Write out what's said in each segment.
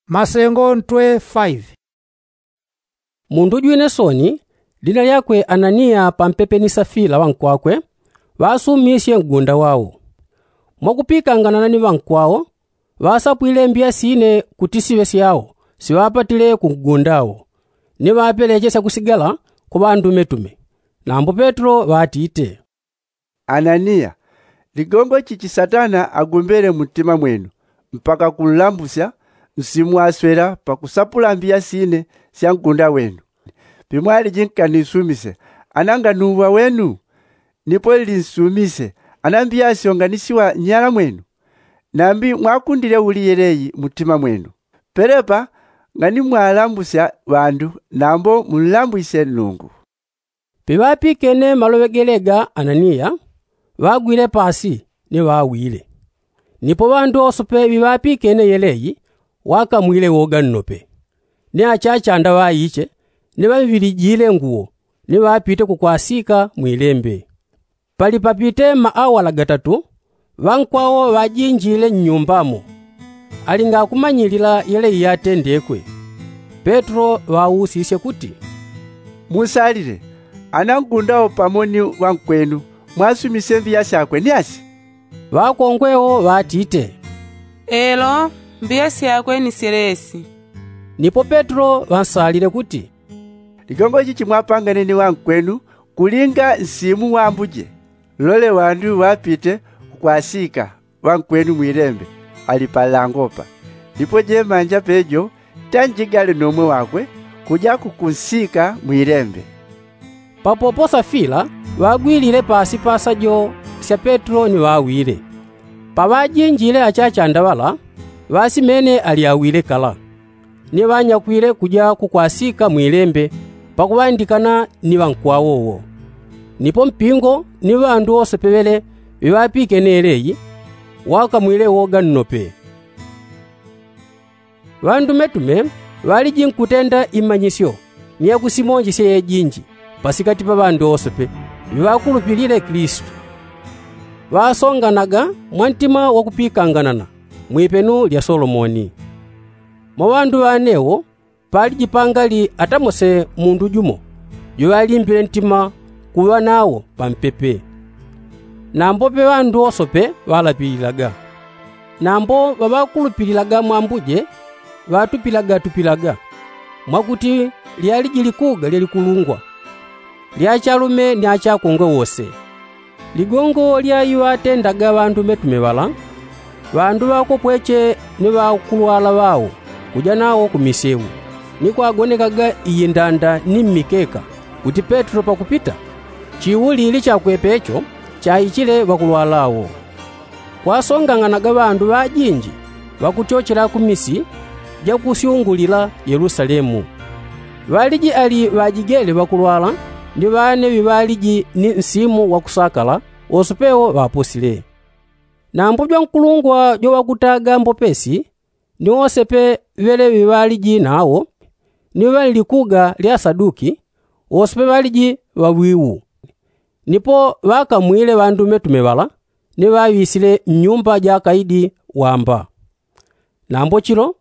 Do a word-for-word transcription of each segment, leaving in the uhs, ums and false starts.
Masengo ntwe faive. Mundu jwine soni, lina lyakwe ananiya pampepe ni safila ŵankwakwe, ŵasumisye mgunda wao. Mwakupikanganana ni ŵankwao, ŵasapwile mbiya sine kuti siŵe syao siŵapatile ku mgunda wo, ni ŵapeleche syakusigala kwa ŵandumetume. Nambo petelo ŵatite, ananiya, ligongo chichi satana agombele muntima mwenu mpaka kunlambusya nsimu aswela pakusapula mbiya sine sya mgunda wenu? Pimwaliji nkanisumise ana nganuŵa wenu? Nipo lilinsumise ana mbiya syo nganisiwa nnyala mwenu? Nambi mwakundile uli yeleyi muntima mwenu? Pelepa nganimwalambusya ŵandu nambo munlambwisye nnungu. Piŵapikene maloŵe gelega ananiya, ŵagwile pasi ni ŵawile. Nipo ŵandu wosepe ŵiŵapikene yeleyi, wakamwile woga nnope. Ni achachanda ŵaiche ni ŵamvilijile nguwo, ni ŵapite kukwasika mwilembe. Pali papite maawala gatatu, ŵankwao ŵajinjile nnyumbamo. Alinga akumanyilila yeleyi yatendekwe, petelo ŵausisye kuti, musalile ana mgunda wo pamo ni ŵankwenu mwasumisye mbiya syakwe ni asi? Ŵakongwe wo ŵatite, elo, mbiya syakwe ni syelesi. Nipo petelo ŵansalile kuti, ligongo chichi mwapangane ni ŵankwenu kulinga nsimu wa ambuje. Lole ŵandu ŵapite kukwasika ŵankwenu mwilembe ali panlango pa. Nipo jemanja pejo tanjigale nomwe wakwe kuja kukunsika mwilembe. Papopo safila ŵagwilile pasi pa sajo sya petelo ni ŵawile. Paŵajinjile achachanda ŵala, ŵasimene ali awile kala. Ni ŵanyakwile kuja kukwasika mwilembe pakuŵandikana ni ŵankwao wo. Nipo mpingo ni ŵandu wosepe ŵele ŵiŵapikene yeleyi, wakamwile woga nnope. Ŵandumetume ŵaliji nkutenda imanyisyo ni yakusimonjesya yejinji pasikati pa ŵandu wosepe ŵiŵakulupilile Kilisitu. Ŵasonganaga mwa ntima wakupikanganana mwipenu lya Solomoni. Mwa ŵandu ŵane wo paliji pangali atamose mundu jumo juŵalimbile ntima kuŵa nawo pampepe. Nambo pe ŵandu wosepe ŵalapililaga. Nambo ŵaŵakulupililaga mwa ambuje ŵatupilagatupilaga, mwakuti lyaliji likuga lyalikulungwa lya achalume ni achakongwe wose. Ligongo lya iŵatendaga ŵandumetume ŵala, ŵandu ŵakopweche ni ŵakulwala ŵao kuja nawo ku misewu, ni kwagonekaga iyindanda ni mmikeka kuti petelo pakupita. Chiwulili chakwe pecho chaichile ŵakulwala wo. Kwasongang'anaga ŵandu ŵajinji ŵakutyochela ku misi jakusyungulila yelusalemu. Ŵaliji ali ŵajigele ŵakulwala ni ŵane ŵiŵaliji ni nsimu wakusakala wosepe wo ŵaposile. Nambo jwankulungwa joŵakutaga mbopesi ni wosepe ŵele ŵiŵaliji nawo ni ŵanlikuga lya asaduki wosepe ŵaliji ŵaŵiwu. Nipo ŵakamwile ŵandumetume ŵala ni ŵaŵisile mnyumba ja akaidi wamba. Nambo chilo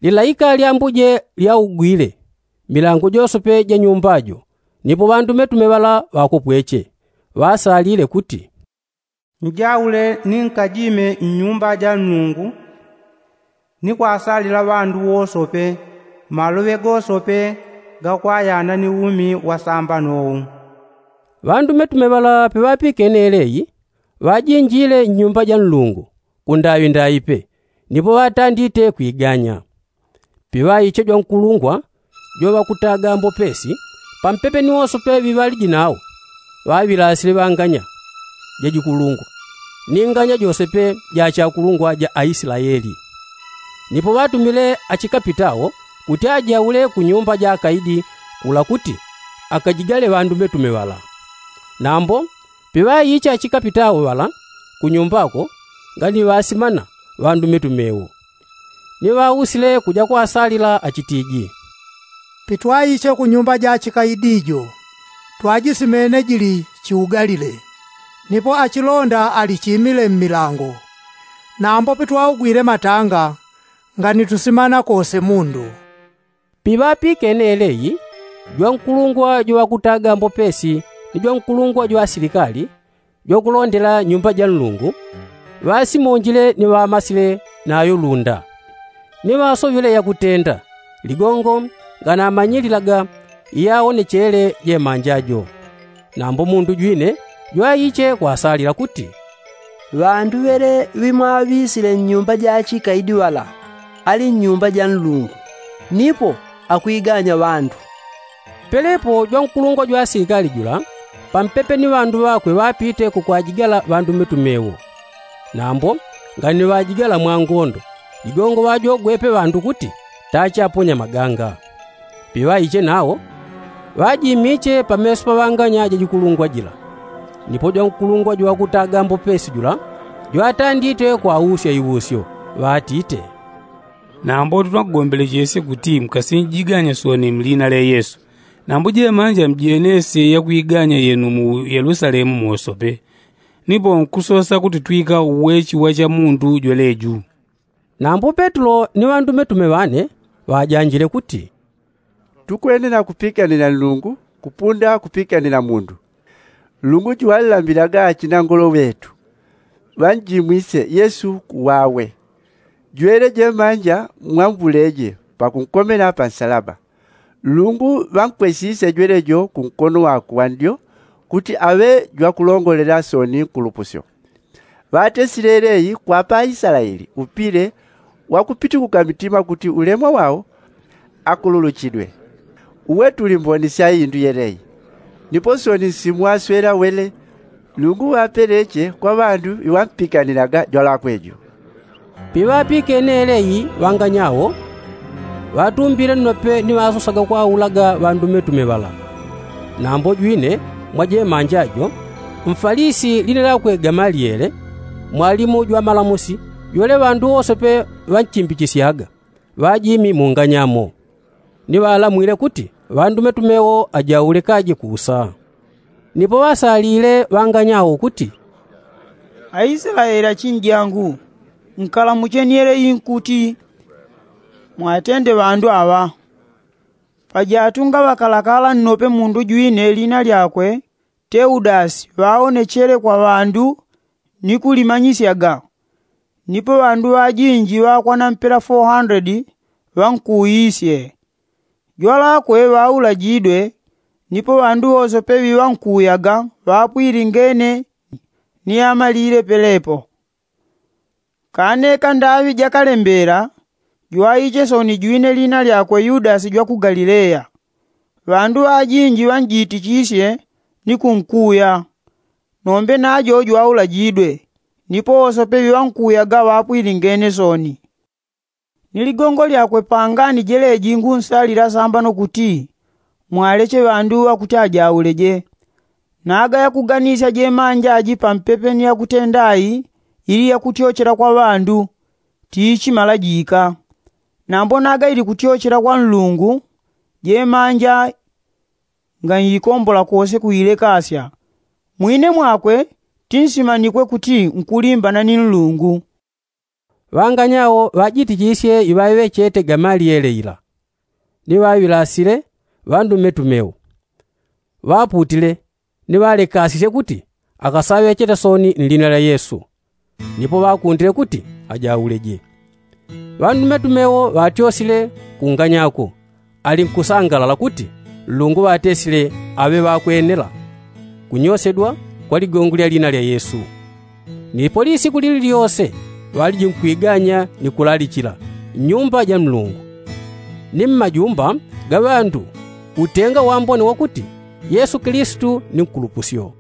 lilaika lya ambuje lyaugwile milango josepe ja nyumba jo. Nipo ŵandumetume ŵala ŵakopweche ŵasalile kuti, njaule ni nkajime mnyumba ja nnungu ni kwasalila ŵandu wosope maloŵe gosope gakwayana ni umi wasambano wu. Ŵandumetume ŵala piŵapikene yeleyi ŵajinjile nnyumba ja nlungu kundaŵindaŵi pe. Nipo ŵatandite kwiganya. Piŵaiche jwankulungwa joŵakutaga mbopesi pampepe ni wosope ŵiŵaliji nawo ŵaŵilasile ŵanganya jajikulungwa ni nganya josepe ja achakulungwa ja aislaeli. Nipo ŵatumile achikapitao kuti ajaule kunyumba ja akaidi kula kuti akajigale ŵandumetume ŵala. Nambo piŵaiche achikapitao ŵala kunyumbako nganiŵasimana ŵandumetume wo. Ni ŵausile kuja kwasalila achitiji, pitwaiche kunyumba ja achikaidi jo twajisimene jili chiugalile. Nipo achilonda alichimile mmilango. Nambo pitwaugwile matanga nganitusimana kose mundu. Piŵapikene yeleyi, jwankulungwa jwa ŵakutaga mbopesi ni jwankulungwa jwa asilikali jwakulondela nyuumba ja nlungu, ŵasimonjile ni ŵamasile nayo lunda, ni ŵasoŵile yakutenda ligongo nganamanyililaga iyaonechele jemanja jo. Nambo mundu jwine jwaiche kwasalila kuti, ŵandu ŵele ŵimwaŵisile nnyuumba ja achikaidi ŵala ali nnyuumba ja nlungu, nipo akwiganya ŵandu. Pelepo jwankulungwa jwa asilikali jula pampepe ni ŵandu ŵakwe ŵapite kukwajigala ŵandumetume wo. Nambo nganiŵajigala mwangondo, ligongo ŵajogwepe ŵandu kuti tachaponya maganga. Piŵaiche nawo ŵajimiche pameso pa ŵanganya ja jikulungwa jila. Nipo jwankulungwa jwakutaga mbopesi jula jwatandite kwausya iusyo, ŵatite, nambo twakugombelechesye kuti mukasinjiganya soni mliina lya yesu. Nambo jemanja mjenesye yakwiganya yenu mu yelusalemu mosope, nipo nkusosa kuti twika uwechi wa chamundu jweleju. Nambo petulo ni ŵandumetume ŵane ŵajanjile kuti, tukwene na kupikanila nlungu kupunda kupikanila mundu. Nlungu juŵalilambilaga achinangolo ŵetu ŵanjimwisye yesu kuwawe, jwele jemanja mwambuleje pakunkomela pansalaba. Nlungu ŵankwesisye jwele jo kunkono wakwe wandyo kuti aŵe jwakulongolela soni nkulupusyo. Ŵatesile yeleyi kwapa aislaeli upile wakupitikuka mitima kuti ulemwa wao akululuchidwe. Uwe tuli mboni sya indu yeleyi. Nipo soni nsimu aswela wele nlungu ŵapeleche kwa ŵandu iŵampikanilaga jwalakwe ju. Piŵapikene yeleyi ŵanganya wo ŵatumbile nnope ni ŵasosaga kwaulaga ŵandumetume ŵala. Nambo jwine mwa jemanja jo mfalisi liina lyakwe gamaliele, mwalimu jwa malamusi jwele ŵandu wosope ŵanchimbichisyaga, ŵajimi munganya mo. Ni ŵalamwile kuti ŵandumetume wo ajaulekaje kuusa. Nipo ŵasalile ŵanganya wo kuti, aislaeli achinjangu, nkalamucheni yeleyi nkuti, mwatende ŵandu aŵa. Pajatunga ŵakalakala nnope mundu jwine liina lyakwe teudasi ŵaonechele kwa ŵandu ni kulimanyisyaga. Nipo ŵandu ŵajinji ŵakwana mpela foo handredi ŵankuuyisye. Jwalakwe ŵaulajidwe. Nipo ŵandu wosope ŵiŵankuuyaga ŵapwilingene ni amalile pelepo. Kane kandaŵi jakalembeela jwaiche soni jwine liina lyakwe yudasi jwa ku galileya. Ŵandu ŵajinji ŵanjitichisye ni kunkuuya. Nombe najo jwaulajidwe. Nipo wosope ŵiŵankuuyaga ŵapwilingene soni. Ni ligongo lyakwe pangani jeleji ngunsalila sambano kuti mwaleche ŵandu ŵakuti ajauleje. Naga yakuganisya jemanja aji pampepe ni yakutenda ayi ili yakutyochela kwa ŵandu, tiichimala jiika. Nambo naga ili kutyochela kwa nlungu, jemanja nganyikombola kose kuilekasya. Mwine mwakwe tinsimanikwe kuti nkulimbana ni nlungu. Ŵanganya wo ŵajitichisye iŵaŵechete gamaliele ila, ni ŵaŵilasile ŵandumetume wo. Ŵaputile ni ŵalekasisye kuti akasaŵechete soni nliina lya yesu. Nipo ŵakundile kuti ajauleje. Ŵandumetume wo ŵatyosile kunganyako, ali nkusangalala kuti nlungu ŵatesile aŵe ŵakwenela kunyosedwa kwa ligongo lya liina lya yesu. Nipo lisiku lili lyose ŵaliji nkwiganya ni kulalichila nnyumba ja nlungu ni mmajumba ga ŵandu, utenga wambone wakuti yesu kilisitu ni nkulupusyo.